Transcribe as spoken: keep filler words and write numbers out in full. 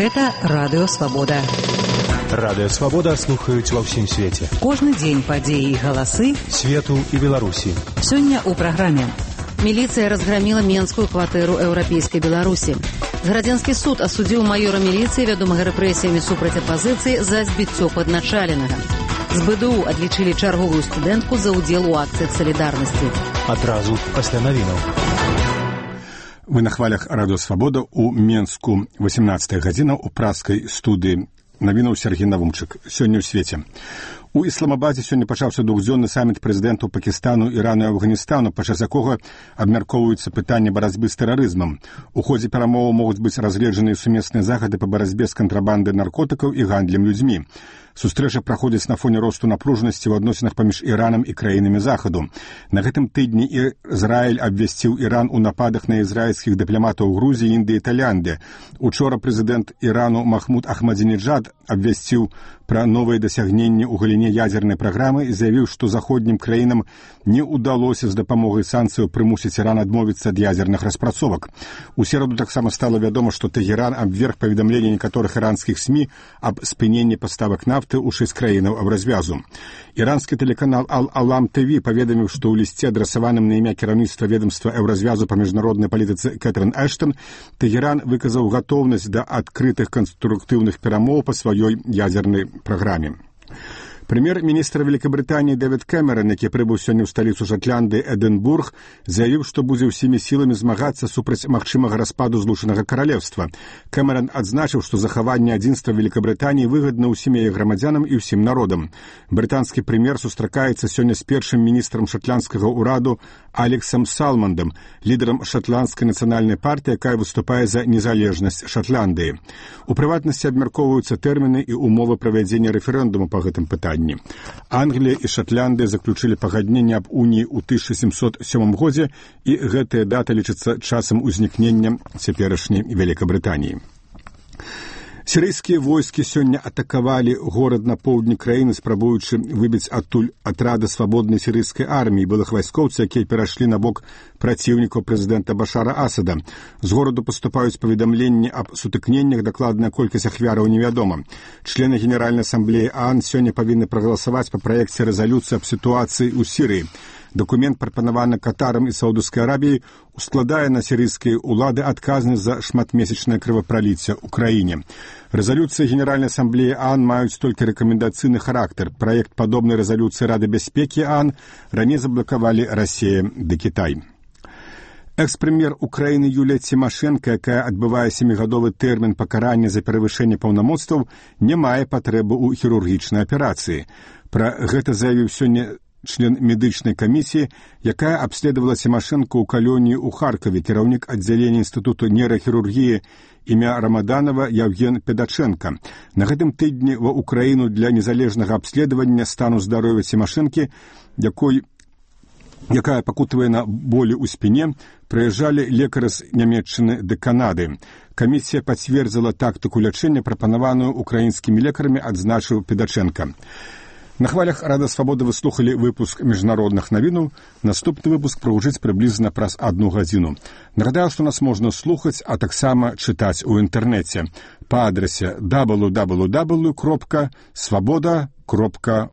Гэта Радыё Свабода. Радыё Свабода слухаюць ва ўсім свеце. Кожны дзень падзеі і галасы свету і Беларусі. Сёння ў праграме. Міліцыя разграміла менскую кватэру еўрапейскай Беларусі. Градзянскі суд асудзіў маёра міліцыі, вядомага рэпрэсіямі супраць апазіцыі, за збіццё падначаленага. З БДУ адлічылі чарговую студэнтку за ўдзел у акцыях салідарнасці. Адразу пасля навінаў. Вы на хвалях Радыё Свабода ў Менску. восемнадцатая гадзіна ў праскай студыі. Навінаў Сергей Навумчык. Сёння ў свеце. У Ісламабадзе сёння пачаўся двухдзённы саміт прэзідэнтаў Пакістану, Ірану і Афганістану, падчас якога абмяркоўваюцца пытанні барацьбы з тэрарызмам. У ходзе перамоваў могуць быць разгледжаныя сумесныя захады па барацьбе з кантрабандай наркотыкаў і гандлем людзьмі. Сустрэча праходзіць на фоне росту напружанасці ў адносінах паміж Іранам і краінамі Захаду. На гэтым тыдні Ізраіль абвясціў Іран у нападах на ізраільскіх дыпламатаў Грузіі, Індыі і Таіланды. Учора прэзідэнт Ірану Махмуд Ахмадзінеджад абвясціў пра новыя дасягненні ў галіне ядзернай праграмы і заявіў, што заходнім краінам не ўдалося з дапамогай санкцыяў прымусіць Іран адмовіцца ад ядзерных распрацовак. У сераду таксама стала вядома, што Тэгеран абверг паведамленне некаторых іранскіх СМІ аб спыненні паставак нафты ў шэсць краінаў аб развязу. Іранскі тэлеканал Ал-Алам ТВ паведаміў, што ў лісце, адрасаваным на імя кіраўніцтва ведомства еўразвязу па міжнароднай палітыцы Кэтрын Эштон, Тэгеран выказаў гатоўнасць да адкрытых канструктыўных перамоў па сваёй ядзернай праграме. Прэм'ер-міністр Великабрытаніі Дэвід Кэмерон, які прыбыў сёння ў сталіцу Шатландыі Эдынбург, заявіў, што будзе ўсімі сіламі змагацца супраць магчымага распаду злучанага каралевства. Кэмерон адзначыў, што захаванне адзінства Великабрытаніі выгадна ўсім яе грамадзянам і ўсім народам. Брытанскі прэм'ер сустракаецца сёння з першым міністрам шатландскага ўраду Алексам Салмандам, лідарам шатландскай нацыянальнай партыі, якая выступае за незалежнасць Шатландыі. У прыватнасці абмяркоўваюцца тэрміны і умовы правядзення рэферэндуму па гэтым пытанні. Англія і Шатландыя заключылі пагадненне аб уніі ў тысяча сямсот сёмым годзе, і гэтая дата лічыцца часам узнікнення цяперашняй Великабрытаніі. Сірыйскія войскі сёння атакавалі горад на поўдні краіны, спрабуючы выбіць адтуль атрады свабоднай сірыйскай арміі, былых вайскоўцаў, якія перайшлі на бок праціўнікаў прэзідэнта Башара Асада. З гораду паступаюць паведамленні аб сутыкненнях, дакладная колькасць ахвяраў невядома. Члены Генеральнай асамблеі ААН сёння павінны прагаласаваць па праекце рэзалюцыі аб сітуацыі ў Сірыі. Дакумент, прапанаваны Катарам і Саудаўскай Арабіяй, ускладае на сірыйскія ўлады адказнасць за шматмесячнае крывапраліцце ў краіне. Рэзалюцыі Генеральнай асамблеі ААН маюць толькі рэкамендацыйны характар. Праект падобнай рэзалюцыі Рады бяспекі ААН раней заблакавалі Расія ды Кітай. Экс-прэм'ер Украіны Юлія Цімашэнка, якая адбывае сямігадовы тэрмін пакарання за перавышэнне паўнамоцтваў, не мае патрэбы ў хірургічнай аперацыі. Пра гэта заявіў сёння член медычнай камісіі, якая абследавала Цімашэнку ў калоніі ў Харкаве, кіраўнік аддзялення інстытуту нейрахірургіі імя Рамаданова Яўген Педачэнка. На гэтым тыдні ва Украіну для незалежнага абследавання стану здароўя Цімашэнкі, якой якая пакутавае на болі ў спіне, прыязджалі лекары з Нямецчыны ды Канады. Камісія пацвердзіла тактыку лячэння, прапанаваную украінскімі лекарамі, адзначыў Педачэнка. На хвалях Радыё Свабода вы слухалі выпуск міжнародных навінаў. Наступны выпуск прагучыць прыблізна праз адну гадзіну. Нагадаю, што нас можна слухаць, а таксама чытаць у інтэрнэце па адрасе дабл ю дабл ю дабл ю кропка свабода кропка